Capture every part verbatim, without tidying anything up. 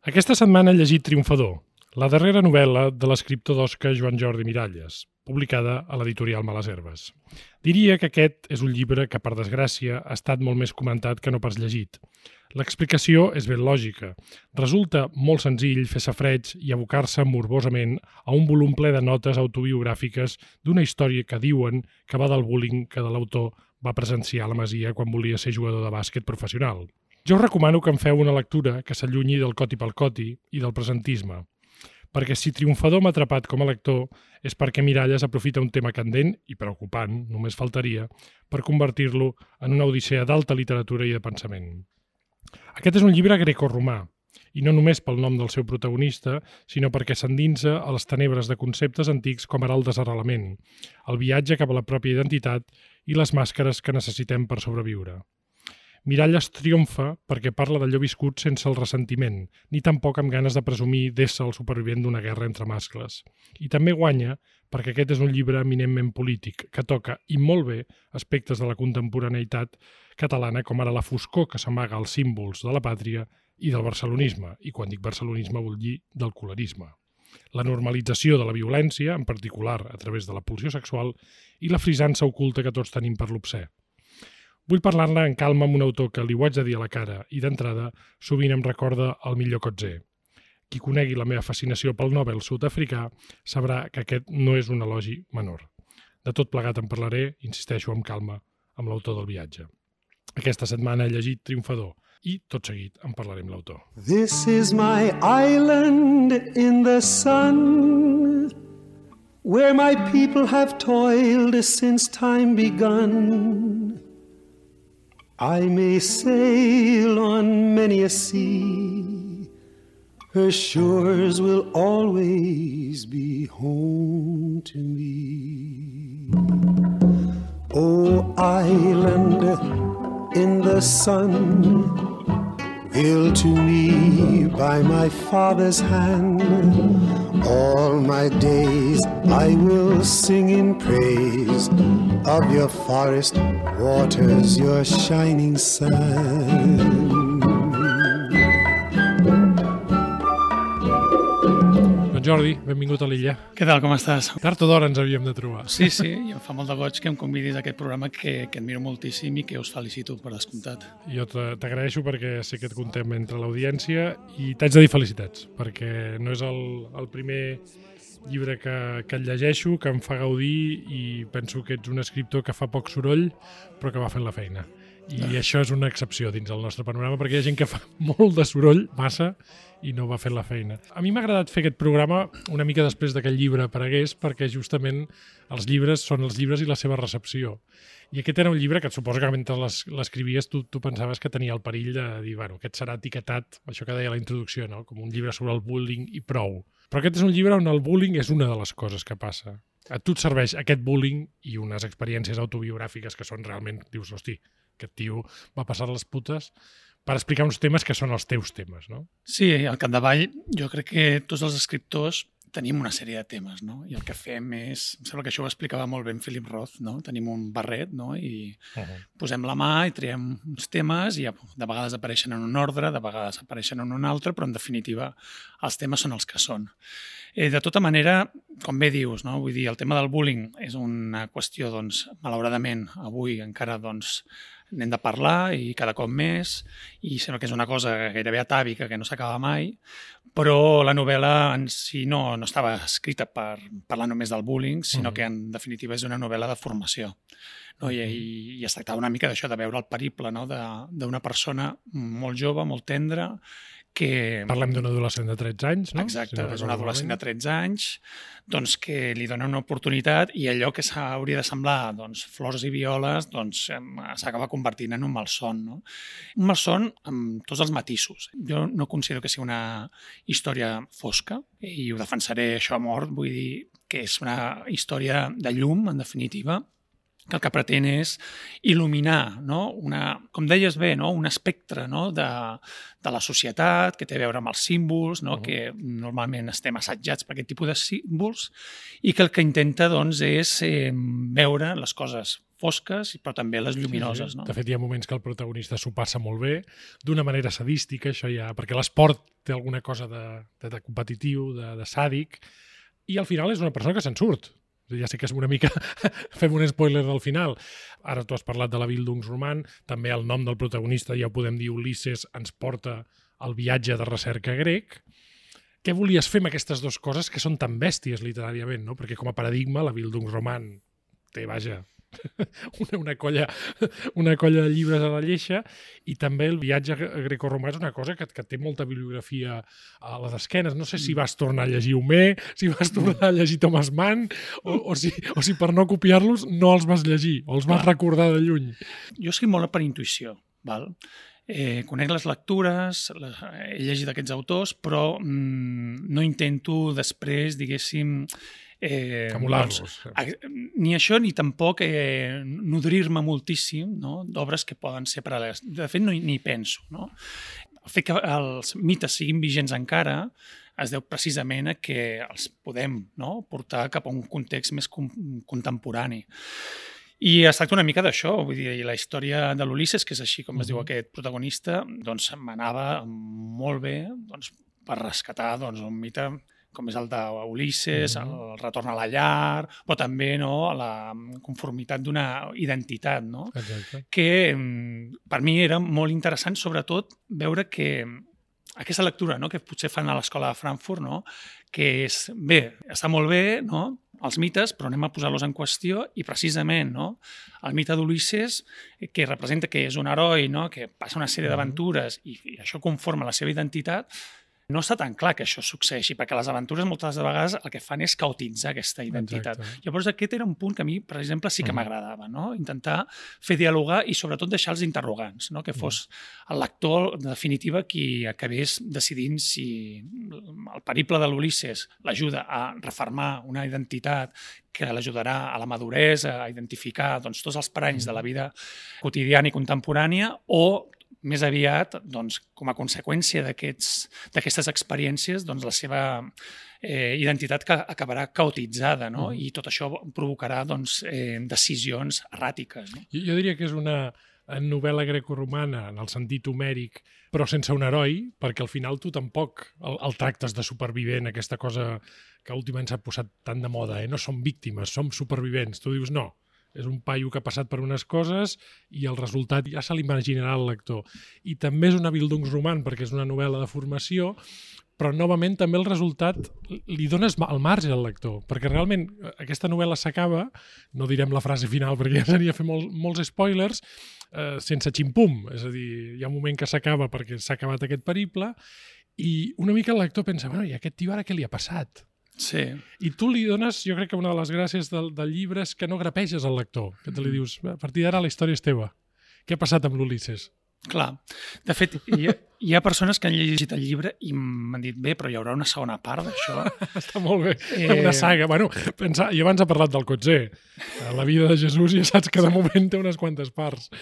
Aquesta setmana he llegit Triomfador, la darrera novel·la de l'escriptor d'Osca Joan Jordi Miralles, publicada a l'editorial Males Herbes. Diria que aquest és un llibre que, per desgràcia, ha estat molt més comentat que no pas llegit. L'explicació és ben lògica. Resulta molt senzill fer safreig i abocar-se morbosament a un volum ple de notes autobiogràfiques d'una història que diuen que va del bullying que de l'autor va presenciar a la Masia quan volia ser jugador de bàsquet professional. Jo us recomano que en feu una lectura que s'allunyi del coti pel coti i del presentisme, perquè si Triomfador m'ha atrapat com a lector és perquè Miralles aprofita un tema candent i preocupant, només faltaria, per convertir-lo en una odissea d'alta literatura i de pensament. Aquest és un llibre grecoromà, i no només pel nom del seu protagonista, sinó perquè s'endinsa a les tenebres de conceptes antics com ara el desarrelament, el viatge cap a la pròpia identitat i les màscares que necessitem per sobreviure. Miralles triomfa perquè parla d'allò viscut sense el ressentiment, ni tampoc amb ganes de presumir d'ésser el supervivent d'una guerra entre mascles. I també guanya perquè aquest és un llibre eminentment polític, que toca, i molt bé, aspectes de la contemporaneïtat catalana, com ara la foscor que s'amaga als símbols de la pàtria i del barcelonisme, i quan dic barcelonisme vull dir del colorisme. La normalització de la violència, en particular a través de la pulsió sexual, i la frisança oculta que tots tenim per l'obscè. Vull parlar-ne en calma amb un autor que li ho haig de dir a la cara i, d'entrada, sovint em recorda el millor Coetzee. Qui conegui la meva fascinació pel Nobel sud-africà sabrà que aquest no és un elogi menor. De tot plegat en parlaré, insisteixo amb calma, amb l'autor del viatge. Aquesta setmana he llegit Triomfador i, tot seguit, en parlaré amb l'autor. This is my island in the sun, where my people have toiled since time begun. I may sail on many a sea, her shores will always be home to me. Oh, island in the sun, built to me by my father's hand, all my days I will sing in praise of your forest waters, your shining sun. Doncs Jordi, benvingut a l'illa. Què tal, com estàs? Tard o d'hora ens havíem de trobar. Sí, sí, i em fa molt de goig que em convidis a aquest programa que, que admiro moltíssim i que us felicito per descomptat. Jo t'agraeixo perquè sé que et contem entre l'audiència i t'haig de dir felicitats, perquè no és el, el primer llibre que, que et llegeixo, que em fa gaudir i penso que ets un escriptor que fa poc soroll però que va fent la feina. I ah. això és una excepció dins el nostre panorama perquè hi ha gent que fa molt de soroll, massa, i no va fent la feina. A mi m'ha agradat fer aquest programa una mica després que el llibre aparegués perquè justament els llibres són els llibres i la seva recepció. I aquest era un llibre que et suposo que mentre l'escrivies tu, tu pensaves que tenia el perill de dir, bueno, aquest serà etiquetat, això que deia la introducció, no? Com un llibre sobre el bullying i prou. Però aquest és un llibre on el bullying és una de les coses que passa. A tu et serveix aquest bullying i unes experiències autobiogràfiques que són realment, dius, hosti, aquest tio va passar les putes per explicar uns temes que són els teus temes, no? Sí, al capdavall jo crec que tots els escriptors tenim una sèrie de temes, no? I el que fem és... Em sembla que això ho explicava molt ben Philip Roth, no? Tenim un barret, no? I uh-huh. posem la mà i traiem uns temes i de vegades apareixen en un ordre, de vegades apareixen en un altre, però en definitiva els temes són els que són. Eh, de tota manera, com bé dius, no? Vull dir, el tema del bullying és una qüestió, doncs, malauradament, avui encara, doncs, n'hem de parlar i cada cop més, i sembla que és una cosa gairebé atàvica que no s'acaba mai, però la novel·la en si no, no estava escrita per parlar només del bullying, sinó uh-huh. que en definitiva és una novel·la de formació. No? I, i, i es tractava una mica d'això, de veure el periple, no? d'una persona molt jove, molt tendra, que... Parlem d'un adolescent de tretze anys, no? Exacte, si no és un adolescent de tretze anys, doncs que li dona una oportunitat i allò que hauria de semblar doncs, flors i violes doncs, s'acaba convertint en un malson. No? Un malson amb tots els matisos. Jo no considero que sigui una història fosca i ho defensaré això a mort, vull dir que és una història de llum, en definitiva, que el que pretén és il·luminar, no? Una, com deies bé, no? Un espectre, no? de, de la societat que té a veure amb els símbols, no? Uh-huh. que normalment estem assetjats per aquest tipus de símbols i que el que intenta doncs, és eh, veure les coses fosques, però també les lluminoses. Sí, sí. No? De fet, hi ha moments que el protagonista s'ho passa molt bé, d'una manera sadística, això ja, perquè l'esport té alguna cosa de, de, de competitiu, de, de sàdic, i al final és una persona que se'n surt. Ja sé que és una mica... fem un spoiler del final. Ara tu has parlat de la Bildungsroman, també el nom del protagonista, ja ho podem dir, Ulisses, ens porta al viatge de recerca grec. Què volies fer amb aquestes dues coses que són tan bèsties literàriament, no? Perquè com a paradigma la Bildungsroman té, vaja, una, una, colla, una colla de llibres a la lleixa, i també el viatge grecoromà és una cosa que, que té molta bibliografia a les esquenes. No sé si vas tornar a llegir Homer, si vas tornar a llegir Thomas Mann, o, o, si, o si per no copiar-los no els vas llegir, o els vas recordar de lluny. Jo escric molt per intuïció, val? Eh, conec les lectures, les, he llegit aquests autors, però mm, no intento després, diguéssim, Eh, Camular-los. Doncs, ni això ni tampoc eh, nodrir-me moltíssim, no? D'obres que poden ser paral·leles. De fet, no hi penso. No? El fet que els mites siguin vigents encara es deu precisament a que els podem, no? Portar cap a un context més com contemporani. I es tracta una mica d'això, vull dir, la història de l'Ulisses, que és així com uh-huh. es diu aquest protagonista, doncs m'anava molt bé doncs, per rescatar doncs, un mite com és el d'Ulisses, mm-hmm. el retorn a la llar, però també no, la conformitat d'una identitat, no? Exacte. Que per mi era molt interessant, sobretot, veure que aquesta lectura no, que potser fan a l'escola de Frankfurt, no, que és, bé, està molt bé, no?, els mites, però anem a posar-los en qüestió i precisament no, el mite d'Ulisses, que representa que és un heroi, no, que passa una sèrie d'aventures i, i això conforma la seva identitat, no està tan clar que això succeeixi, perquè les aventures moltes vegades el que fan és caotitzar aquesta identitat. Exacte. Llavors aquest era un punt que a mi, per exemple, sí que m'agradava, no? Intentar fer dialogar i sobretot deixar els interrogants, no? Que fos el lector, en definitiva, qui acabés decidint si el periple de l'Ulisses l'ajuda a refermar una identitat que l'ajudarà a la maduresa, a identificar doncs, tots els paranys de la vida quotidiana i contemporània, o més aviat, doncs, com a conseqüència d'aquestes experiències, doncs, la seva eh, identitat que acabarà caotitzada, no? Mm. I tot això provocarà doncs, eh, decisions erràtiques. No? Jo, jo diria que és una novel·la grecoromana en el sentit homèric, però sense un heroi, perquè al final tu tampoc el, el tractes de supervivent, aquesta cosa que últimament s'ha posat tan de moda, eh? No som víctimes, som supervivents. Tu dius no. És un paio que ha passat per unes coses i el resultat ja se l'imaginarà el lector. I també és una Bildungsroman perquè és una novel·la de formació, però novament també el resultat li dones al marge al lector, perquè realment aquesta novel·la s'acaba, no direm la frase final perquè ja seria fer molt, molts spoilers, eh, sense ximpum, és a dir, hi ha un moment que s'acaba perquè s'ha acabat aquest periple i una mica el lector pensa, bueno, i aquest tio ara què li ha passat? Sí. I tu li dones, jo crec que una de les gràcies del, del llibre és que no grapeges al lector, que te li dius, a partir d'ara la història és teva. Què ha passat amb l'Ulisses? Clar. De fet, hi ha, hi ha persones que han llegit el llibre i m'han dit, bé, però hi haurà una segona part d'això. Està molt bé. Eh... Una saga. Bueno, pensa, jo abans he parlat del Cotzé. La vida de Jesús ja saps que de moment té unes quantes parts.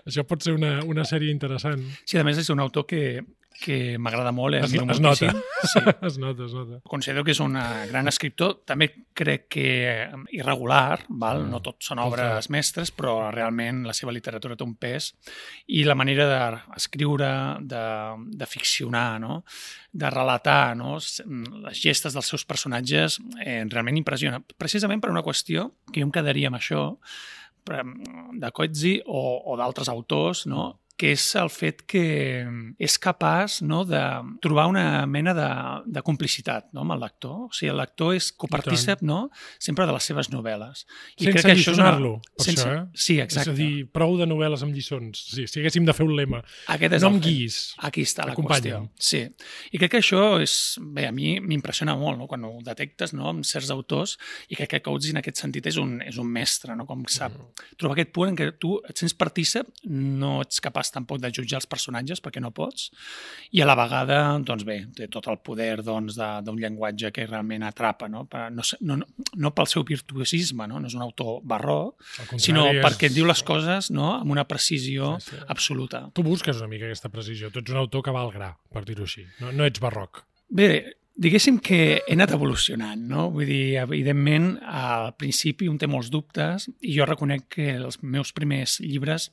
Això pot ser una, una sèrie interessant. Sí, a més és un autor que que m'agrada molt. Eh? Es, es nota. Sí. es nota, es nota. Considero que és un gran escriptor. També crec que irregular, val? Mm. No tot són obres mestres, però realment la seva literatura té un pes i la manera d'escriure, de, de ficcionar, no? De relatar, no? Les gestes dels seus personatges eh, realment impressiona. Precisament per una qüestió que jo em quedaria amb això de Coetzee o, o d'altres autors, no? Que és el fet que és capaç no, de trobar una mena de, de complicitat no, amb el lector. O sigui, el lector és copartícip no, sempre de les seves novel·les. I sense alliçonar-lo, per sense... això, eh? Sí, exacte. És a dir, prou de novel·les amb lliçons. Sí, si haguéssim de fer un lema. Aquest és no el... em guiïs. Aquí està la qüestió. Sí. I crec que això és... Bé, a mi m'impressiona molt no, quan ho detectes no, amb certs autors i crec que Coetzee en aquest sentit és un, és un mestre, no, com sap mm. trobar aquest punt en què tu et sents partícip, no ets capaç tampoc de jutjar els personatges perquè no pots i a la vegada, doncs bé, té tot el poder doncs, d'un llenguatge que realment atrapa, no? No, no, no pel seu virtuosisme, no? No és un autor barroc, sinó és... perquè diu les coses no? Amb una precisió sí, sí. absoluta. Tu busques una mica aquesta precisió, tu ets un autor que va al gra, per dir-ho així, no, no ets barroc. Bé, Diguéssim que he anat evolucionant, no? Vull dir, evidentment, al principi un té molts dubtes i jo reconec que els meus primers llibres,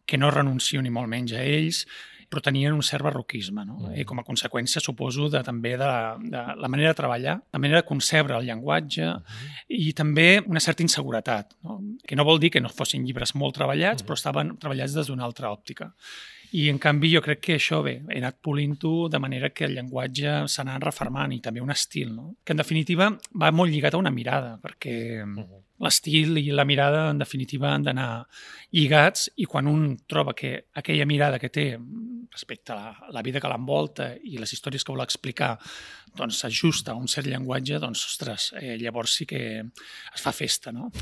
que no renuncio ni molt menys a ells, però tenien un cert barroquisme, no? Mm. I com a conseqüència, suposo, de, també de la, de la manera de treballar, la manera de concebre el llenguatge mm. i també una certa inseguretat, no? Que no vol dir que no fossin llibres molt treballats, mm. però estaven treballats des d'una altra òptica. I, en canvi, jo crec que això, bé, he anat polint-ho de manera que el llenguatge s'ha anat reformant i també un estil, no? Que, en definitiva, va molt lligat a una mirada, perquè uh-huh. l'estil i la mirada, en definitiva, han d'anar lligats i quan un troba que aquella mirada que té respecte a la, la vida que l'envolta i les històries que vol explicar doncs s'ajusta a un cert llenguatge, doncs, ostres, eh, llavors sí que es fa festa, no?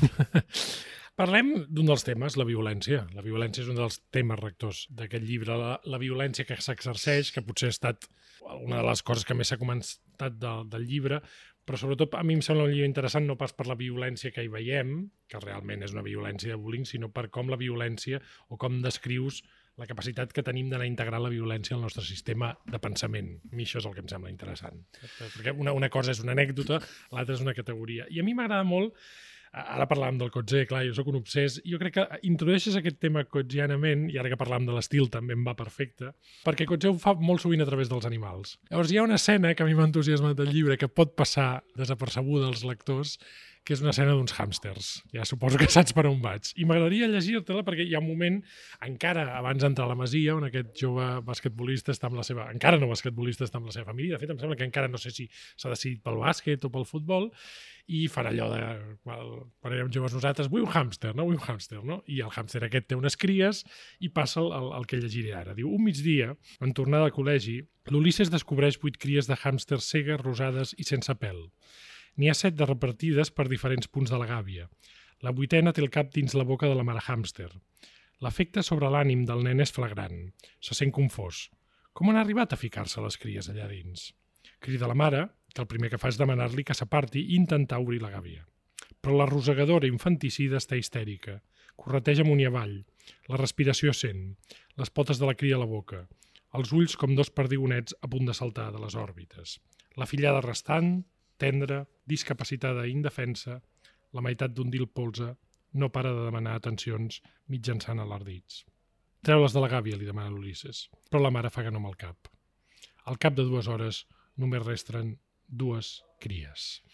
Parlem d'un dels temes, la violència. La violència és un dels temes rectors d'aquest llibre. La, la violència que s'exerceix, que potser ha estat una de les coses que més s'ha comentat de, del llibre, però sobretot a mi em sembla un llibre interessant no pas per la violència que hi veiem, que realment és una violència de bullying, sinó per com la violència o com descrius la capacitat que tenim d'anar integrant la violència al nostre sistema de pensament. A mi això és el que em sembla interessant. Perquè una, una cosa és una anècdota, l'altra és una categoria. I a mi m'agrada molt. Ara parlàvem del Coetzee, clar, jo soc un obsès. Jo crec que introdueixes aquest tema coetzianament, i ara que parlàvem de l'estil també em va perfecte, perquè Coetzee ho fa molt sovint a través dels animals. Llavors hi ha una escena que a mi m'ha entusiasmat del llibre que pot passar desapercebuda als lectors, que és una escena d'uns hàmsters. Ja suposo que saps per on vaig. I m'agradaria llegir-te-la perquè hi ha un moment, encara abans d'entrar a la Masia, on aquest jove basquetbolista està amb la seva... Encara no basquetbolista està amb la seva família. De fet, em sembla que encara no sé si s'ha decidit pel bàsquet o pel futbol, i farà allò de... Quan érem joves nosaltres, vull un hàmster, no? Vull un hàmster, no? I el hàmster aquest té unes cries i passa el, el, el que llegiré ara. Diu, un migdia, en tornada al col·legi, l'Ulisses descobreix vuit cries de hàmsters cegues, rosades i sense pèl. N'hi ha set de repartides per diferents punts de la gàbia. La vuitena té el cap dins la boca de la mare hàmster. L'efecte sobre l'ànim del nen és flagrant. Se sent confós. Com han arribat a ficar-se les cries allà dins? Crida la mare, que el primer que fa és demanar-li que s'aparti i intentar obrir la gàbia. Però la rosegadora infanticida està histèrica. Correteja amunt i avall. La respiració sent. Les potes de la cria a la boca. Els ulls com dos perdigonets a punt de saltar de les òrbites. La fillada restant, tendra, discapacitada i indefensa, la meitat d'un dil polze, no para de demanar atencions mitjançant alardits. Treu-les de la gàbia, li demana l'Ulisses, però la mare fa que no amb el cap. Al cap de dues hores només resten dues cries.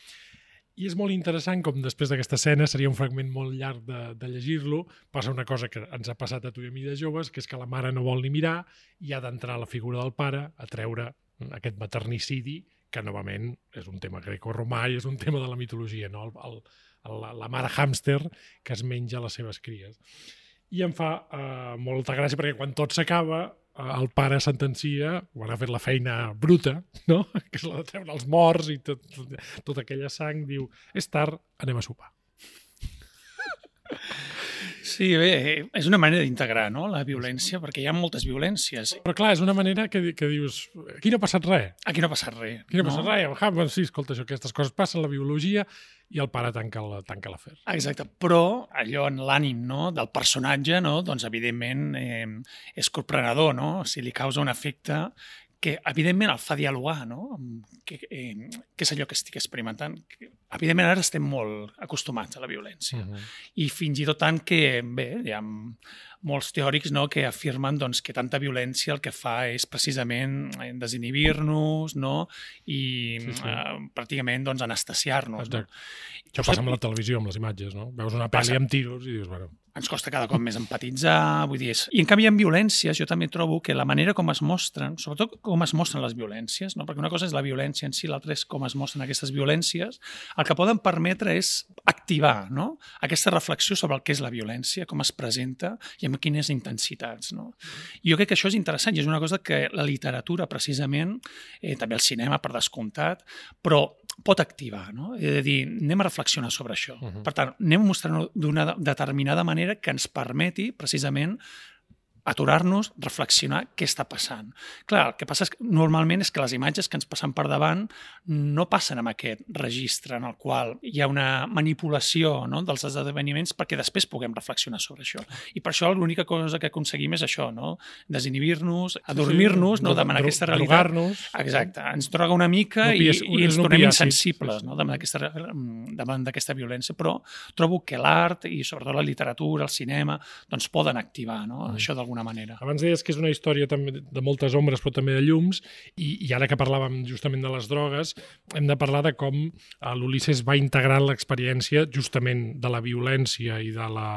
I és molt interessant com després d'aquesta escena, seria un fragment molt llarg de, de llegir-lo, passa una cosa que ens ha passat a tu i a mi de joves, que és que la mare no vol ni mirar i ha d'entrar a la figura del pare a treure aquest maternicidi, que novament és un tema greco-romà i és un tema de la mitologia, no? el, el, el, la mare hàmster que es menja les seves cries. I em fa eh, molta gràcia perquè quan tot s'acaba, eh, el pare sentencia, quan ha fet la feina bruta, no? Que és la de treure els morts i tot, tot, tota aquella sang, diu, és tard, anem a sopar. Sí, bé, és una manera d'integrar, no?, la violència, perquè hi ha moltes violències. Però clar, és una manera que, que dius, aquí no ha passat res. Aquí no ha passat res. Aquí no ha passat no? res. Ah, bueno, sí, escolta, això, aquestes coses passen, la biologia, i el pare tanca l'afer. Exacte, però allò en l'ànim, no?, del personatge, no?, doncs evidentment eh, és corprenedor, no?, o sigui, li causa un efecte que evidentment el fa dialogar, no?, que, eh, que és allò que estic experimentant. Evidentment ara estem molt acostumats a la violència uh-huh. i fins i tot tant que, bé, hi ha molts teòrics, no?, que afirmen doncs, que tanta violència el que fa és precisament desinhibir-nos, no?, i sí, sí. Eh, pràcticament doncs, anestesiar-nos. No? Això passa amb la televisió, amb les imatges, no? Veus una pel·li amb tiros i dius, bueno... Ens costa cada cop més empatitzar, vull dir... És... I en canvi en violències jo també trobo que la manera com es mostren, sobretot com es mostren les violències, no? Perquè una cosa és la violència en si, l'altra és com es mostren aquestes violències, el que poden permetre és activar, no?, aquesta reflexió sobre el que és la violència, com es presenta i amb quines intensitats. No? I jo crec que això és interessant i és una cosa que la literatura, precisament, eh, també el cinema, per descomptat, però pot activar, no? És a dir, anem a reflexionar sobre això. Uh-huh. Per tant, anem a mostrar d'una determinada manera que ens permeti, precisament, aturar-nos, reflexionar què està passant. Clar, el que passa és que normalment és que les imatges que ens passen per davant no passen amb aquest registre en el qual hi ha una manipulació, no?, dels esdeveniments perquè després puguem reflexionar sobre això. I per això l'única cosa que aconseguim és això, no?, desinhibir-nos, adormir-nos, sí, sí. no?, davant aquesta realitat. Drogar-nos. Exacte, ens droga una mica no pies, i, i ens tornem insensibles, no?, davant d'aquesta, davant d'aquesta violència, però trobo que l'art i sobretot la literatura, el cinema, doncs poden activar, no?, mm. això d'alguna manera. Abans deies que és una història també de moltes ombres però també de llums i, i ara que parlàvem justament de les drogues hem de parlar de com l'Ulisses va integrant l'experiència justament de la violència i de la,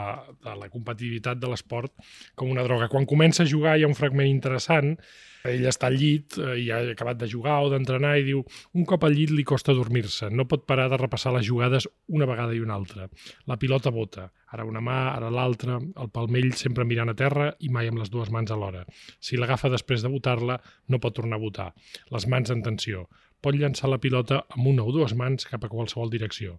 de la competitivitat de l'esport com una droga. Quan comença a jugar hi ha un fragment interessant. Ell està al llit i ha acabat de jugar o d'entrenar i diu un cop al llit li costa dormir-se, no pot parar de repassar les jugades una vegada i una altra. La pilota bota, ara una mà, ara l'altra, el palmell sempre mirant a terra i mai amb les dues mans alhora. Si l'agafa després de botar-la, no pot tornar a botar. Les mans en tensió. Pot llançar la pilota amb una o dues mans cap a qualsevol direcció.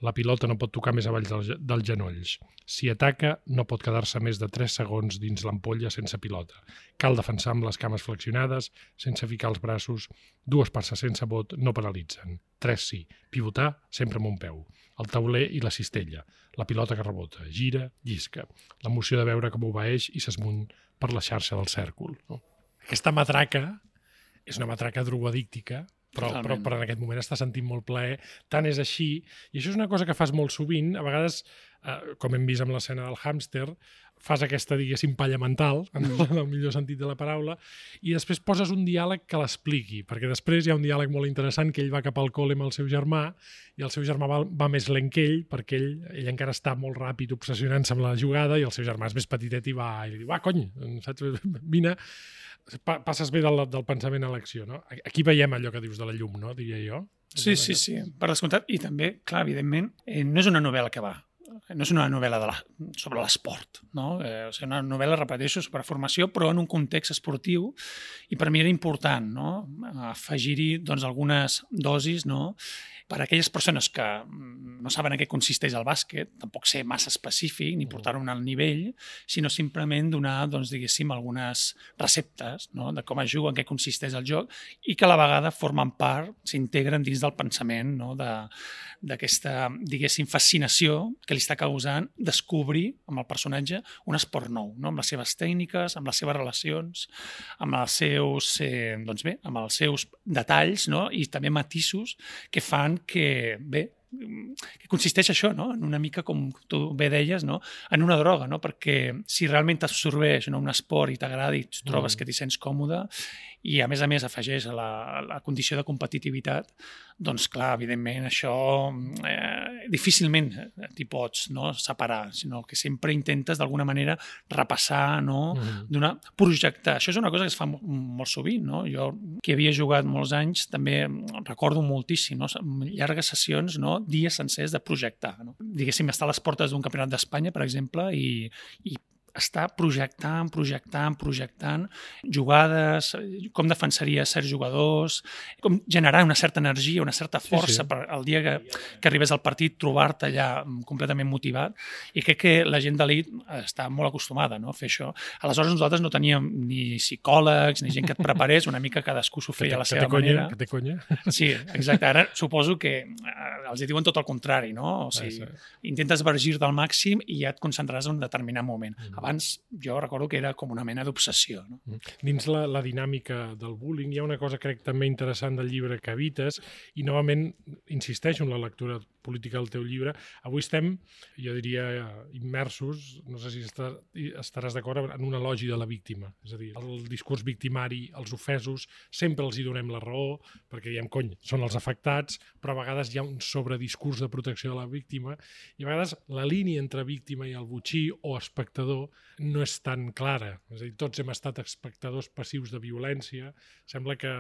La pilota no pot tocar més avall dels, dels genolls. Si ataca, no pot quedar-se més de tres segons dins l'ampolla sense pilota. Cal defensar amb les cames flexionades, sense ficar els braços. Dues passes sense bot no paralitzen. Tres sí. Pivotar sempre amb un peu. El tauler i la cistella. La pilota que rebota. Gira, llisca. L'emoció de veure com obeeix i s'esmuny per la xarxa del cèrcol. No? Aquesta matraca és una matraca drogoadíctica, Però, però, però en aquest moment està sentint molt plaer, tant és així, i això és una cosa que fas molt sovint, a vegades, eh, com hem vist amb l'escena del hàmster, fas aquesta, diguéssim, palla mental, en el, en el millor sentit de la paraula, i després poses un diàleg que l'expliqui, perquè després hi ha un diàleg molt interessant que ell va cap al col·le amb el seu germà, i el seu germà va, va més lent que ell, perquè ell, ell encara està molt ràpid obsessionant-se amb la jugada, i el seu germà és més petitet i va, i li diu, va, cony, saps? Vine, passes bé del, del pensament a l'acció, no? Aquí veiem allò que dius de la llum, no? Diria jo. Sí, sí, sí, per descomptat. I també, clar, evidentment, eh, no és una novel·la que va, no és una novel·la de la, sobre l'esport, no? Eh, o sigui, una novel·la, repeteixo, sobre formació, però en un context esportiu, i per mi era important, no?, afegir-hi, doncs, algunes dosis, no?, per a aquelles persones que no saben en què consisteix el bàsquet, tampoc ser massa específic ni portar-ho al nivell, sinó simplement donar, doncs, diguéssim, algunes receptes, no?, de com es juga, en què consisteix el joc, i que a la vegada formen part, s'integren dins del pensament, no?, d'aquesta, diguéssim, fascinació que li està causant descobrir amb el personatge un esport nou, no?, amb les seves tècniques, amb les seves relacions, amb els seus, eh, doncs bé, amb els seus detalls, no?, i també matisos que fan que, bé, que consisteix això, no?, en una mica, com tu bé deies, no?, en una droga, no?, perquè si realment t'absorbeix, no?, un esport i t'agrada i trobes mm. que t'hi sents còmode i a més a més afegeix a la, a la condició de competitivitat, doncs clar, evidentment això eh, difícilment t'hi pots, no?, separar, sinó que sempre intentes d'alguna manera repassar, no?, mm. donar, projectar. Això és una cosa que es fa molt, molt sovint, no? Jo, que havia jugat molts anys, també recordo moltíssim, no?, llargues sessions, no?, dies sencers de projectar, no? Diguéssim, estar a les portes d'un campionat d'Espanya, per exemple, i, i està projectant, projectant, projectant jugades, com defensaria certs jugadors, com generar una certa energia, una certa força sí, sí. per el dia que, que arribes al partit trobar-te allà completament motivat, i crec que la gent d'elit està molt acostumada, no?, a fer això. Aleshores nosaltres no teníem ni psicòlegs ni gent que et preparés, una mica cadascú s'ho feia a la seva manera. Que té conya. Sí, exacte. Ara suposo que els hi diuen tot el contrari, no? O sigui, intentes vergir-te al màxim i ja et concentraràs en un determinat moment. Abans jo recordo que era com una mena d'obsessió. No? Dins la, la dinàmica del bullying hi ha una cosa, crec, també interessant del llibre que evites, i novament insisteixo en la lectura política del teu llibre. Avui estem, jo diria, immersos, no sé si estar, estaràs d'acord, en un elogi de la víctima. És a dir, el discurs victimari, els ofesos, sempre els hi donem la raó, perquè diem, cony, són els afectats, però a vegades hi ha un sobrediscurs de protecció de la víctima, i a vegades la línia entre víctima i el botxí o espectador no és tan clara. És a dir, tots hem estat espectadors passius de violència. Sembla que,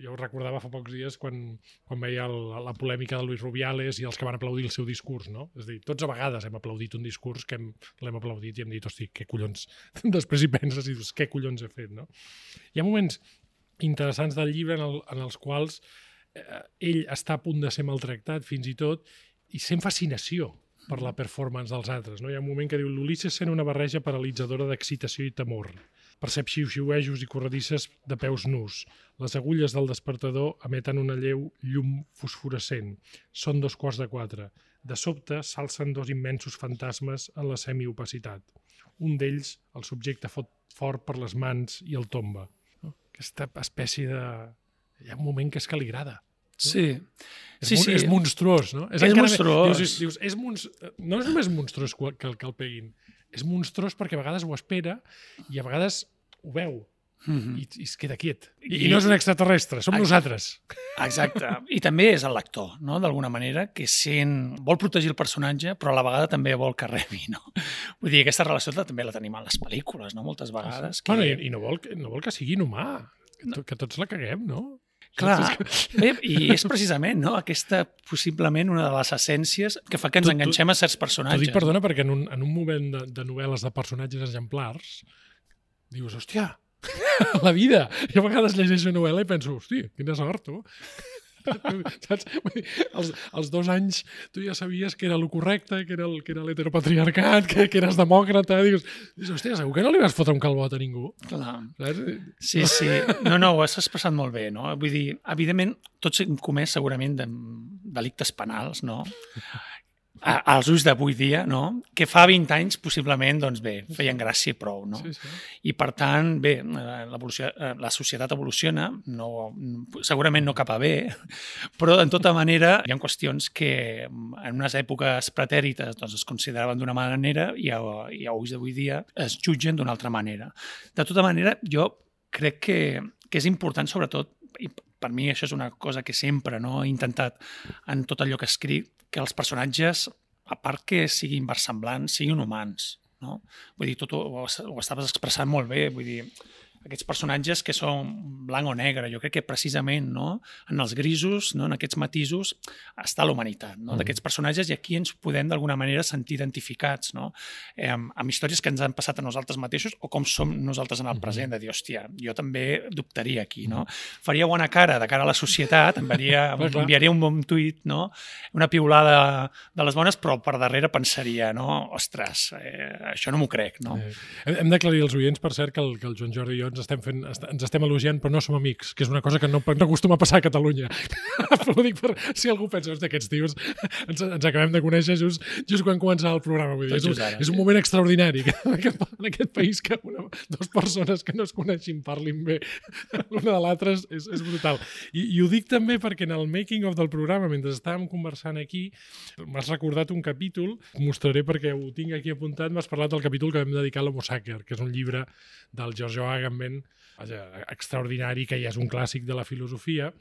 jo ho recordava fa pocs dies, quan, quan veia el, la polèmica de Luis Rubiales i els que van aplaudir el seu discurs, no? És a dir, tots a vegades hem aplaudit un discurs que hem, l'hem aplaudit i hem dit, hosti, què collons... Després hi penses i dius, què collons he fet, no? Hi ha moments interessants del llibre en, el, en els quals eh, ell està a punt de ser maltractat, fins i tot, i sent fascinació per la performance dels altres. No? Hi ha un moment que diu l'Ulisses sent una barreja paralitzadora d'excitació i temor. percep xiu-xiuejos i corredisses de peus nus. Les agulles del despertador emeten una lleu llum fosforescent. Són dos quarts de quatre. De sobte s'alcen dos immensos fantasmes en la semiopacitat. Un d'ells, el subjecte fot fort per les mans i el tomba. Aquesta espècie de... Hi ha un moment que és que li agrada. Sí. És, sí, mon sí. és monstruós, no? És, és monstruós. Dius, dius, és monst... No és només monstruós que, que el peguin. És monstruós perquè a vegades ho espera i a vegades ho veu. Mm-hmm. I, i es queda quiet. I, I, I no és un extraterrestre, som Exacte. nosaltres. Exacte. I també és el lector, no? D'alguna manera, que sent... vol protegir el personatge, però a la vegada també vol que rebi, no? Vull dir, aquesta relació també la tenim en les pel·lícules, no? Moltes vegades. Que... Bueno, i, i no, vol, no vol que sigui inhumà, que, to, que tots la caguem, no? Clar, bé, i és precisament no? aquesta possiblement una de les essències que fa que ens tu, enganxem a certs personatges. T'ho dic, perdona, perquè en un, en un moment de, de novel·les de personatges exemplars dius, hòstia, la vida! I a vegades llegeixo novel·la i penso, hòstia, quina sort, tu! Saps? Vull dir, els, els dos anys tu ja sabies que era el correcte, que era el, que era l'heteropatriarcat, que, que eres demòcrata, dius, hòstia, segur que no li vas fotre un calbot a ningú. Clar. Saps? Sí, sí. No, no, ho has expressat molt bé, no? Vull dir, evidentment, tots hem comès segurament de delictes penals, no? als ulls d'avui dia, no? Que fa vint anys, possiblement, doncs bé, feien gràcia i prou, no? Sí, sí. I per tant, bé, la societat evoluciona, no, segurament no cap a bé, però en tota manera hi ha qüestions que en unes èpoques pretèrites doncs, es consideraven d'una manera i a, i a ulls d'avui dia es jutgen d'una altra manera. De tota manera, jo crec que, que és important, sobretot, i per mi això és una cosa que sempre no, he intentat en tot allò que escric, que els personatges, a part que siguin versemblants, siguin humans. No? Vull dir, tot ho, ho estaves expressant molt bé, vull dir, aquests personatges que són blanc o negre, jo crec que precisament no, en els grisos, no, en aquests matisos, està la humanitat no, d'aquests personatges i aquí ens podem d'alguna manera sentir identificats no, eh, amb històries que ens han passat a nosaltres mateixos o com som nosaltres en el present, de dir, hòstia, jo també dubtaria aquí, no? Faria bona cara de cara a la societat, enviaria, enviaria un bon tuit, no? Una piulada de les bones, però per darrere pensaria, no? Ostres, eh, això no m'ho crec, no? Eh, hem d'aclarir als oients, per cert, que el, que el Joan Jordi i jo ens estem, fent, ens estem elogiant però no som amics, que és una cosa que no, no acostuma a passar a Catalunya. Però ho dic per si algú pensa, que aquests tios ens, ens acabem de conèixer just, just quan començava el programa. Vull dir, és, un, és un moment extraordinari que en aquest, en aquest país que una, dues persones que no es coneixin parlin bé l'una de l'altra és, és brutal. I, I ho dic també perquè en el making of del programa, mentre estàvem conversant aquí, m'has recordat un capítol, ho mostraré perquè ho tinc aquí apuntat, m'has parlat del capítol que vam dedicar a l'Homo Sacer, que és un llibre del Giorgio Agamben, extraordinari, que ja és un clàssic de la filosofia.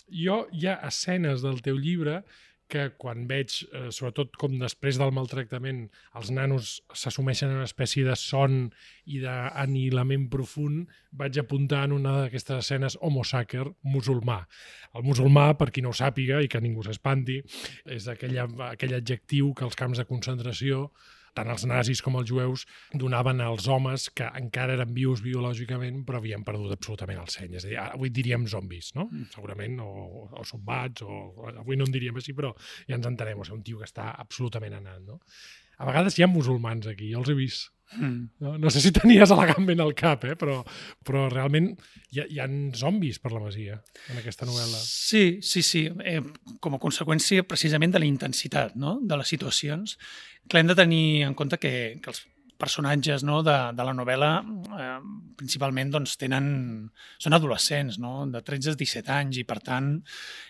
Jo hi ha escenes del teu llibre que quan veig, eh, sobretot com després del maltractament, els nanos s'assumeixen en una espècie de son i d'anihilament profund, vaig apuntar en una d'aquestes escenes Homo Sacer, musulmà. El musulmà, per qui no ho sàpiga i que ningú s'espanti, és aquell, aquell adjectiu que els camps de concentració tant els nazis com els jueus donaven als homes que encara eren vius biològicament però havien perdut absolutament el seny. És a dir, avui diríem zombis, no? Segurament, o, o sombats, o avui no en diríem així, però ja ens entenem, o sigui, un tio que està absolutament anant, no? A vegades hi ha musulmans aquí, jo els he vist. Mm. No, no sé si tenies Agamben al cap, eh? però, però realment hi ha, hi ha zombis per la Masia en aquesta novel·la. Sí, sí, sí. Eh, com a conseqüència precisament de la intensitat no? de les situacions, que hem de tenir en compte que, que els personatges no, de, de la novel·la eh, principalment doncs, tenen, són adolescents, no? De tretze a disset anys, i per tant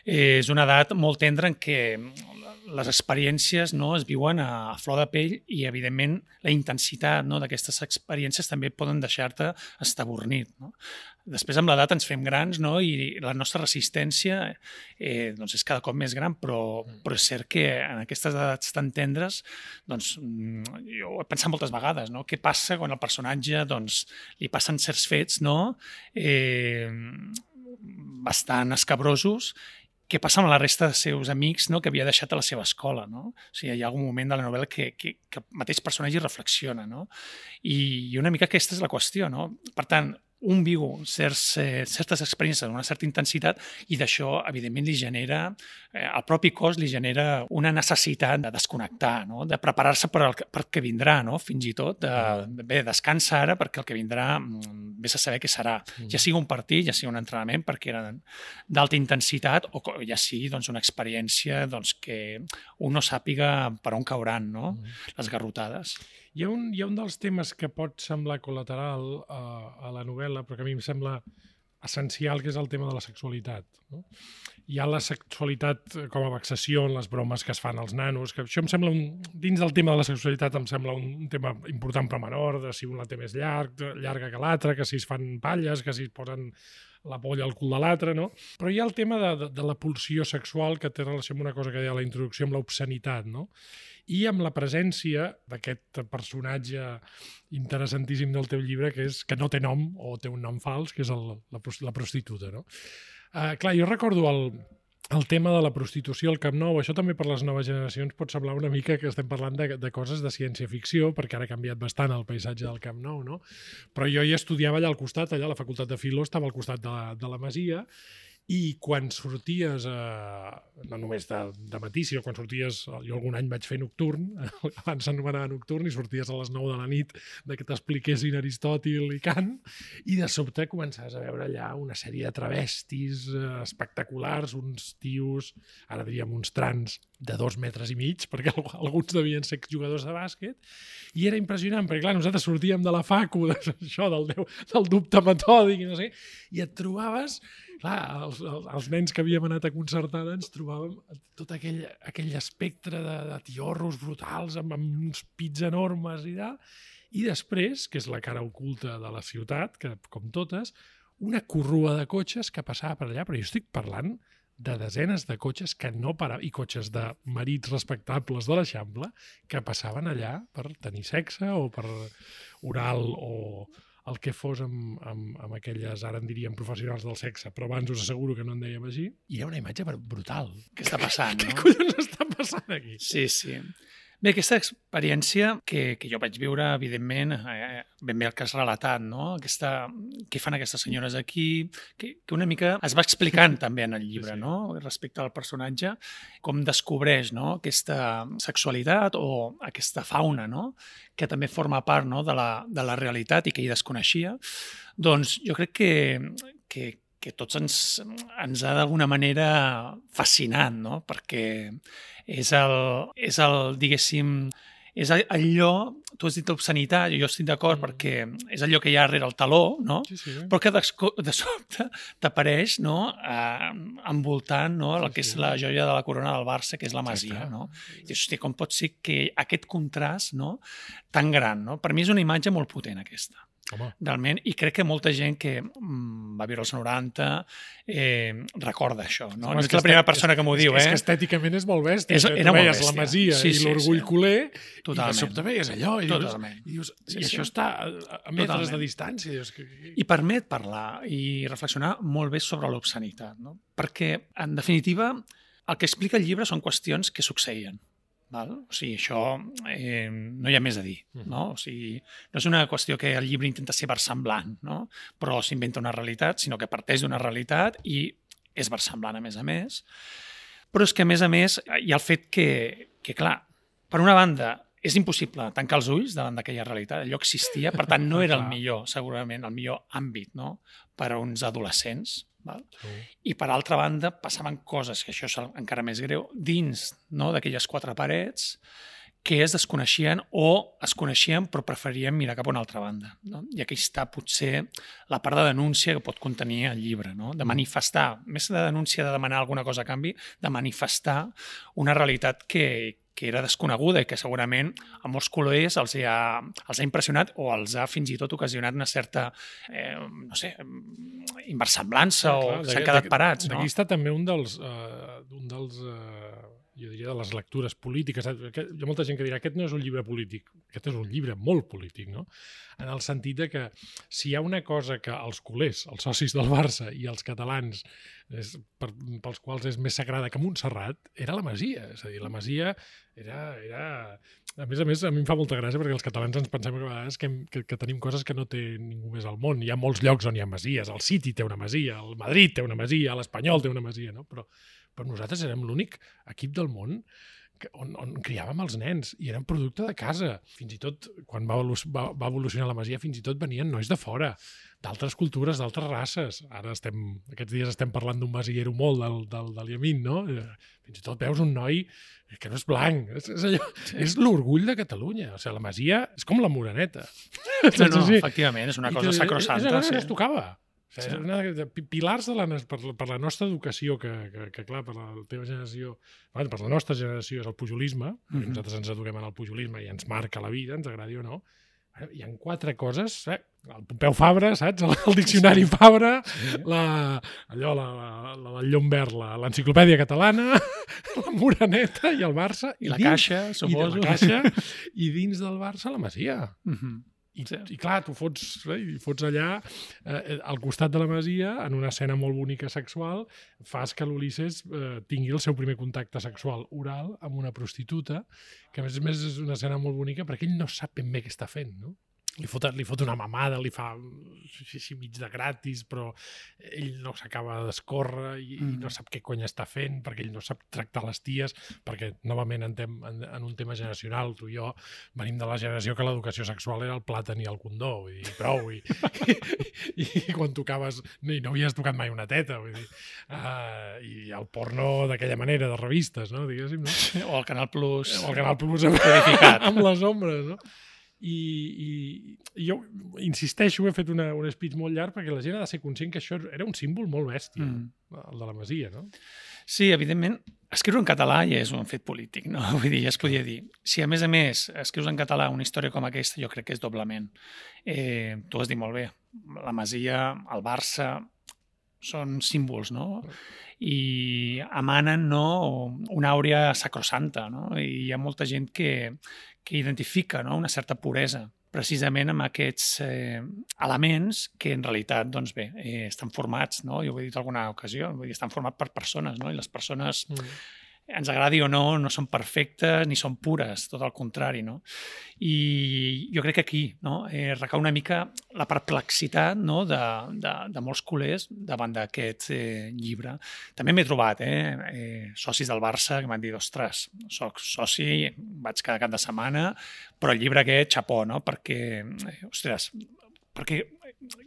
eh, és una edat molt tendra en què les experiències no, es viuen a, a flor de pell i, evidentment, la intensitat no, d'aquestes experiències també poden deixar-te estabornit. No? Després, amb l'edat, ens fem grans no? I la nostra resistència eh, doncs és cada cop més gran, però, però és cert que en aquestes edats tan tendres doncs, jo he pensat moltes vegades no? Què passa quan el personatge doncs, li passen certs fets no? eh, bastant escabrosos. Què passa amb la resta dels seus amics no? Que havia deixat a la seva escola. No? O sigui, hi ha algun moment de la novel·la que, que, que el mateix personatge reflexiona. No? I, I una mica aquesta és la qüestió. No? Per tant, un viu certs, eh, certes experiències amb una certa intensitat i d'això, evidentment, li genera, eh, al propi cos li genera una necessitat de desconnectar, no? De preparar-se per al per que vindrà, no? Fins i tot, de, bé, descansa ara perquè el que vindrà vés a saber què serà. Ja sigui un partit, ja sigui un entrenament, perquè era d'alta intensitat, o ja sigui doncs, una experiència doncs, que un no sàpiga per on cauran, no? Les garrotades. Hi ha, un, hi ha un dels temes que pot semblar col·lateral a, a la novel·la, però que a mi em sembla essencial, que és el tema de la sexualitat. No? Hi ha la sexualitat com a vexació en les bromes que es fan als nanos, que això em sembla, un, dins del tema de la sexualitat, em sembla un tema important però menor, de si un la té més llarg, llarga que l'altra, que si es fan palles, que si es posen la polla al cul de l'altre, no? Però hi ha el tema de, de, de la pulsió sexual que té relació amb una cosa que deia a la introducció, amb l'obscenitat, no? I amb la presència d'aquest personatge interessantíssim del teu llibre, que és que no té nom, o té un nom fals, que és el, la, la prostituta, no? Uh, clar, jo recordo el, el tema de la prostitució al Camp Nou. Això també per les noves generacions pot semblar una mica que estem parlant de, de coses de ciència-ficció, perquè ara ha canviat bastant el paisatge del Camp Nou, no? Però jo hi estudiava allà al costat, allà a la Facultat de Filó, estava al costat de la, de la Masia, i quan sorties, eh, no només de, de matí, sinó quan sorties, jo algun any vaig fer nocturn, abans s'anomenava nocturn, i sorties a les nou de la nit de que t'expliquessin Aristòtil i Kant, i de sobte començaves a veure allà una sèrie de travestis eh, espectaculars, uns tios, ara diríem uns trans, de dos metres i mig, perquè alguns devien ser jugadors de bàsquet, i era impressionant, perquè clar, nosaltres sortíem de la facu, d'això, del, del dubte metòdic, i no sé, i et trobaves, clar, els, els nens que havíem anat a concertada ens trobàvem tot aquell, aquell espectre de, de tiorros brutals, amb, amb uns pits enormes i tal, i després, que és la cara oculta de la ciutat, que com totes, una corrua de cotxes que passava per allà, però jo estic parlant de desenes de cotxes que no paraven, i cotxes de marits respectables de l'Eixample, que passaven allà per tenir sexe o per oral o el que fos amb, amb, amb aquelles, ara en diríem professionals del sexe, però abans us asseguro que no en dèiem així, i era una imatge brutal. Què està passant, no? Què collons està passant aquí? Sí, sí. Bé, aquesta experiència que, que jo vaig viure, evidentment, eh, ben bé el que has relatat, no? Aquesta, què fan aquestes senyores aquí, que, que una mica es va explicant també en el llibre, sí, sí. No? Respecte al personatge, com descobreix, no? Aquesta sexualitat o aquesta fauna, no? Que també forma part, no? de, la, de la realitat i que hi desconeixia. Doncs jo crec que, que que tots ens, ens ha d'alguna manera fascinat, no? Perquè és el, és el, diguéssim, és allò, tu has dit obscenitat, jo estic d'acord mm. perquè és allò que hi ha darrere el taló, no? Sí, sí. Però que de, de sobte t'apareix, no? Eh, envoltant, no? El que sí, sí. és la joia de la corona del Barça, que és la Masia, no? I hosti, com pot ser que aquest contrast, no? Tan gran, no? Per mi és una imatge molt potent aquesta. Home. Realment, i crec que molta gent que mm, va viure als noranta eh, recorda això, no? Home, no és, és la primera persona que m'ho diu, és, eh? És que estèticament és molt bèstia. És, era tu molt veies bèstia. La Masia sí, sí, i l'orgull sí. culer, totalment. I de sobte veies allò, i dius, i, dius, sí, i això sí. està a metres totalment. De distància. Dius, que... I permet parlar i reflexionar molt bé sobre l'obscenitat, no? Perquè, en definitiva, el que explica el llibre són qüestions que succeïen. Val? O sigui, això eh, no hi ha més a dir, no? O sigui, no és una qüestió que el llibre intenta ser versemblant, no? Però s'inventa una realitat, sinó que parteix d'una realitat i és versemblant, a més a més. Però és que, a més a més, hi ha el fet que, que clar, per una banda, és impossible tancar els ulls davant d'aquella realitat, allò existia, per tant, no era el millor, segurament, el millor àmbit, no? Per a uns adolescents. Val? Sí. I per altra banda passaven coses, que això és encara més greu, dins, no, d'aquelles quatre parets que es desconeixien o es coneixien però preferien mirar cap a una altra banda, no? I aquí està potser la part de denúncia que pot contenir el llibre, no? De manifestar, més de denúncia de demanar alguna cosa a canvi, de manifestar una realitat que, que era desconeguda i que segurament a molts col·legues els ha, els ha impressionat o els ha fins i tot ocasionat una certa, eh, no sé, inversemblança o s'han quedat parats. Aquí està també un dels, uh, un dels uh, jo diria, de les lectures polítiques. Hi ha molta gent que dirà aquest no és un llibre polític, aquest és un llibre molt polític, no? En el sentit de que si hi ha una cosa que els culers, els socis del Barça i els catalans és, per, pels quals és més sagrada que Montserrat, era la Masia. És a dir, la Masia era... era... A més a més, a mi em fa molta gràcia perquè els catalans ens pensem que a vegades que, que, que tenim coses que no té ningú més al món. Hi ha molts llocs on hi ha masies. El City té una masia, el Madrid té una masia, l'Espanyol té una masia, no? Però, però nosaltres érem l'únic equip del món On, on criàvem els nens i eren producte de casa. Fins i tot, quan va, va, va evolucionar la masia, fins i tot venien nois de fora, d'altres cultures, d'altres races. Ara estem, aquests dies estem parlant d'un masiero molt del, del, del Yamin, no? Fins i tot veus un noi que no és blanc. És, és, allò, sí. és l'orgull de Catalunya. O sigui, la masia és com la Moreneta. No, no, efectivament, és una cosa sacrosanta. És una cosa sí. que es tocava. O sigui, sí. una de pilars de la, per, per la nostra educació, que, que, que clar, per la teva generació, bueno, per la nostra generació és el pujolisme, mm-hmm. nosaltres ens eduquem en el pujolisme i ens marca la vida, ens agradi o no. Hi ha quatre coses, eh? El Pompeu Fabra, saps? El, el diccionari sí. Fabra, sí. la, allò, la, la, la del Llom Verd, l'enciclopèdia catalana, la Moreneta i el Barça. I, I la dins, Caixa, suposo. I la Caixa, i dins del Barça la Masia. Mm-hmm. I, sí. I clar, tu fots, eh, fots allà, eh, al costat de la masia, en una escena molt bonica sexual, fas que l'Ulisses eh, tingui el seu primer contacte sexual oral amb una prostituta, que a més a més és una escena molt bonica perquè ell no sap ben bé què està fent, no? Li fot, li fot una mamada, li fa així mig de gratis, però ell no s'acaba d'escórrer i, mm. i no sap què cony està fent, perquè ell no sap tractar les ties, perquè, novament, en, tem, en, en un tema generacional, tu i jo venim de la generació que l'educació sexual era el plàtan i el condó, vull dir, prou, i, i, i quan tocaves, no, no havies tocat mai una teta, vull dir, uh, i el porno d'aquella manera, de revistes, no, diguéssim, no? O el Canal Plus. O el Canal Plus codificat. Amb les ombres, no? I, i, i jo insisteixo, he fet una, un speech molt llarg perquè la gent ha de ser conscient que això era un símbol molt bèstia, mm. el de la masia, no? Sí, evidentment, escriure en català ja és un fet polític, no? Vull dir, ja es podia dir. Si a més a més escrius en català una història com aquesta, jo crec que és doblement. Eh, tu has dit molt bé, la masia, el Barça, són símbols, no? I emanen, no, una àurea sacrosanta, no? I hi ha molta gent que, que identifica, no, una certa puresa precisament amb aquests eh, elements que en realitat, doncs bé, eh, estan formats, no? Jo ho he dit en alguna ocasió, vull dir, estan formats per persones, no? I les persones, mm. ens agradi o no, no són perfectes ni són pures, tot el contrari, no? I jo crec que aquí, no, eh, recau una mica la perplexitat, no, de, de, de molts culers davant d'aquest eh, llibre. També m'he trobat eh, eh, socis del Barça que m'han dit, ostres, soc soci, vaig cada cap de setmana, però el llibre aquest, xapó, no? Perquè, eh, ostres, perquè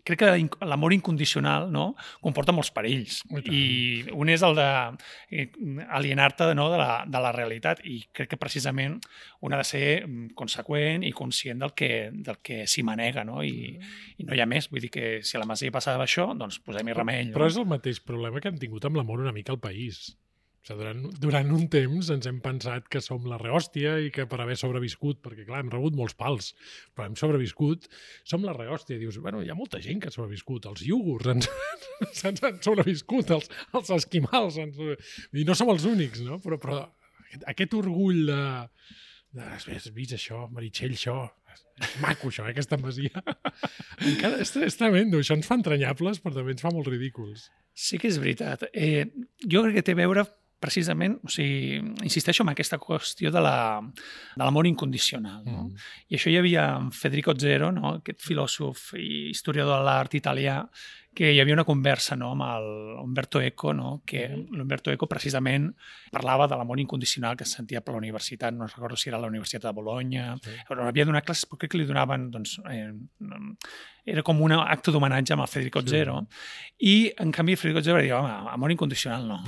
crec que l'amor incondicional, no, comporta molts perills. I un és el d'alienar-te, no, de, la, de la realitat, i crec que precisament un ha de ser conseqüent i conscient del que, del que s'hi manega, no? I, i no hi ha més. Vull dir que si a la Masia passava això, doncs posem-hi remei. Però no? És el mateix problema que hem tingut amb l'amor una mica al país. O sigui, durant, durant un temps ens hem pensat que som la rehòstia i que per haver sobreviscut, perquè clar, hem rebut molts pals, però hem sobreviscut, som la rehòstia. Dius, bueno, hi ha molta gent que ha sobreviscut, els iogurts ens, ens han sobreviscut, els, els esquimals, ens, i no som els únics, no? Però, però aquest, aquest orgull de, de has vist això, Meritxell, això, és maco això, eh, aquesta masia. Encara és, és tremendo, això ens fa entranyables, però també ens fa molt ridículs. Sí que és veritat. Eh, jo crec que té a veure precisament, o sigui, insisteixo en aquesta qüestió de l'amor la, incondicional. No? Mm. I això hi havia en Federico Zero, no? Aquest filòsof i historiador de l'art italià, que hi havia una conversa, no, amb l'Umberto Eco, no, que mm. l'Umberto Eco precisament parlava de l'amor incondicional que es sentia per la universitat, no recordo si era la Universitat de Bologna, sí. Però havia donat classes, però crec que li donaven, doncs, eh, era com un acte d'homenatge amb el Federico sí. Zero, i en canvi Federico Zero va dir, home, amor incondicional no.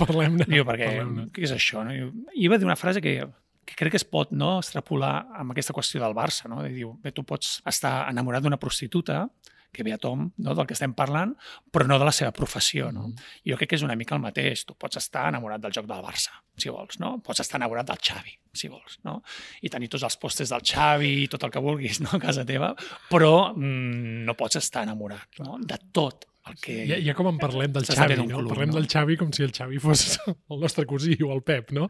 Parlem-ne. Diu, perquè, parlem-ne. Què és això? No? I va dir una frase que que crec que es pot, no, extrapolar amb aquesta qüestió del Barça. No? I diu, bé, tu pots estar enamorat d'una prostituta, que ve a tom, no, del que estem parlant, però no de la seva professió. No? Mm. I jo crec que és una mica el mateix. Tu pots estar enamorat del joc del Barça, si vols, no? Pots estar enamorat del Xavi, si vols, no? I tenir tots els pòsters del Xavi i tot el que vulguis, no?, a casa teva, però mm, no pots estar enamorat, no?, de tot el que... Ja, ja com en parlem del Xavi, no? Club, parlem no? del Xavi com si el Xavi fos el nostre cosí o el Pep, no?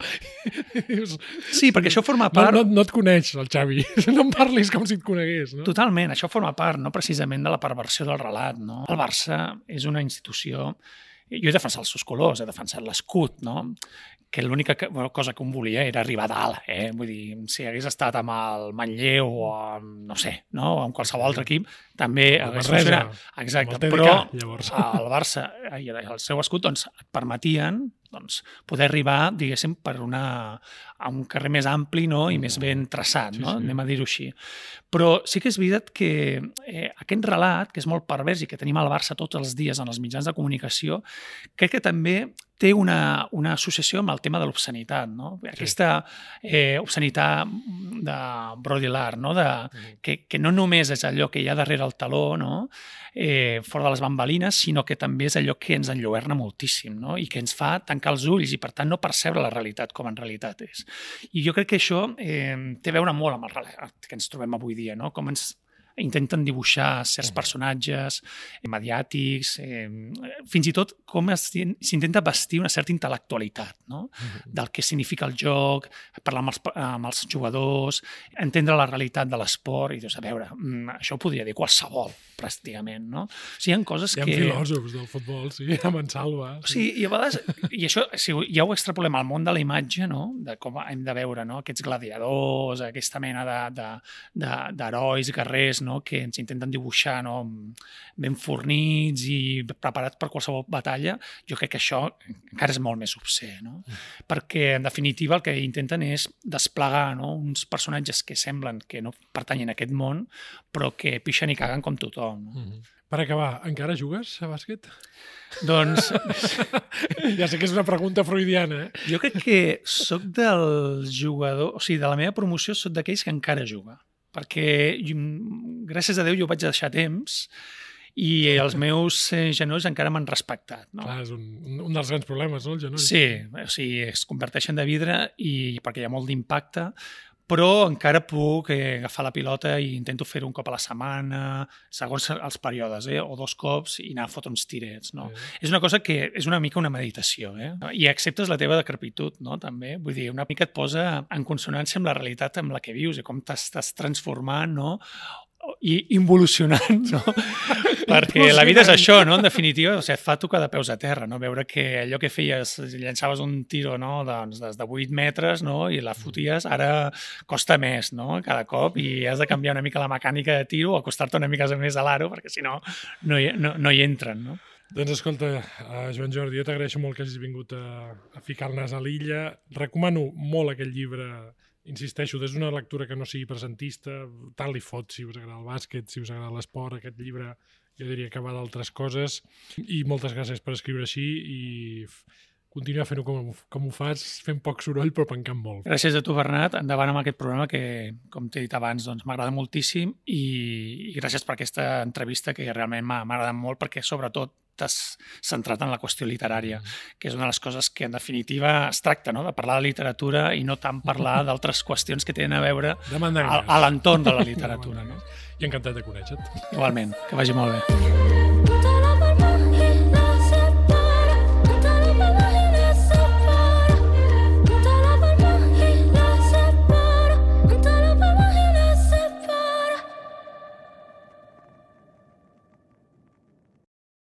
Dius, sí, perquè això forma part... No, no, no et coneix, el Xavi. No em parlis com si et conegués, no? Totalment, això forma part, no?, precisament de la perversió del relat, no? El Barça és una institució jo he defensat els seus colors, he defensat l'escut, no? Que l'única cosa que em volia era arribar a dalt, eh? Vull dir, si hagués estat amb el Manlleu o amb, no sé, no? O amb qualsevol altre equip, també hagués funcionat. Exacte, però el Barça i el seu escut doncs, et permetien doncs, poder arribar, diguéssim, per una, a un carrer més ampli, no? I més ben traçat, no? Anem a dir-ho així. Però sí que és veritat que eh, aquest relat, que és molt pervers i que tenim al Barça tots els dies en els mitjans de comunicació, crec que també té una, una associació amb el tema de l'obscenitat, no? Sí. Aquesta eh, obscenitat de Baudrillard, no? De, que, que no només és allò que hi ha darrere el taló, no? eh, fora de les bambalines, sinó que també és allò que ens enlluerna moltíssim, no? I que ens fa tancar els ulls i, per tant, no percebre la realitat com en realitat és. I jo crec que això eh, té a veure molt amb el relat que ens trobem avui dia, no? Com ens intenten dibuixar certs personatges mediàtics, eh, fins i tot com s'intenta vestir una certa intel·lectualitat, no? Del que significa el joc, parlar amb els, amb els jugadors, entendre la realitat de l'esport, i dius, a veure, això ho podria dir qualsevol, pràcticament, no? O sigui, hi ha coses que... Hi ha filòsofs del futbol, sí, amb en Salva. O sigui, i a vegades, i això, si ja ho extrapolem al món de la imatge, no? De com hem de veure, no? Aquests gladiadors, aquesta mena d'herois, guerrers, no? Que ens intenten dibuixar, no? Ben fornits i preparats per qualsevol batalla, jo crec que això encara és molt més obscè, no? Mm. Perquè, en definitiva, el que intenten és desplegar, no? Uns personatges que semblen que no pertanyen a aquest món, però que pixen i caguen com tothom. No? Mm-hmm. Per acabar, encara jugues a bàsquet? Doncs... ja sé que és una pregunta freudiana, eh? Jo crec que soc del jugador... O sigui, de la meva promoció soc d'aquells que encara juga. Perquè, gràcies a Déu, jo vaig deixar temps i els meus genolls encara m'han respectat. No? Clar, és un, un dels grans problemes, no, el genoll? Sí, o sigui, es converteixen de vidre i perquè hi ha molt d'impacte, però encara puc eh, agafar la pilota i intento fer-ho un cop a la setmana, segons els períodes, eh? O dos cops, i anar a fotre uns tirets. No? Sí. És una cosa que és una mica una meditació, eh? I acceptes la teva decrepitud, no? També. Vull dir, una mica et posa en consonància amb la realitat amb la que vius i com t'estàs transformant, no? I involucionant, no? Perquè la vida és això, no? En definitiva, o sigui, et fa tocar de peus a terra, no? Veure que allò que feies, llançaves un tiro, no? Doncs des de vuit metres, no? I la foties, ara costa més, no? Cada cop, i has de canviar una mica la mecànica de tiro o acostar-te una mica més a l'aro, perquè si no, no hi, no, no hi entren, no? Doncs escolta, uh, Joan Jordi, jo t'agraeixo molt que hagis vingut a, a ficar el nas a l'illa. Recomano molt aquest llibre. Insisteixo, des d'una lectura que no sigui presentista, tant li fot si us agrada el bàsquet, si us agrada l'esport, aquest llibre jo diria que va d'altres coses. I moltes gràcies per escriure així i continuar fent-ho com, com ho fas, fent poc soroll però pencant molt. Gràcies a tu, Bernat. Endavant amb aquest programa que, com t'he dit abans, doncs, m'agrada moltíssim i, i gràcies per aquesta entrevista que realment m'ha agradat molt perquè sobretot t'has centrat en la qüestió literària, que és una de les coses que en definitiva es tracta, no? De parlar de literatura i no tant parlar d'altres qüestions que tenen a veure a, a l'entorn de la literatura. No? I encantat de conèixer-te. Igualment, que vagi molt bé.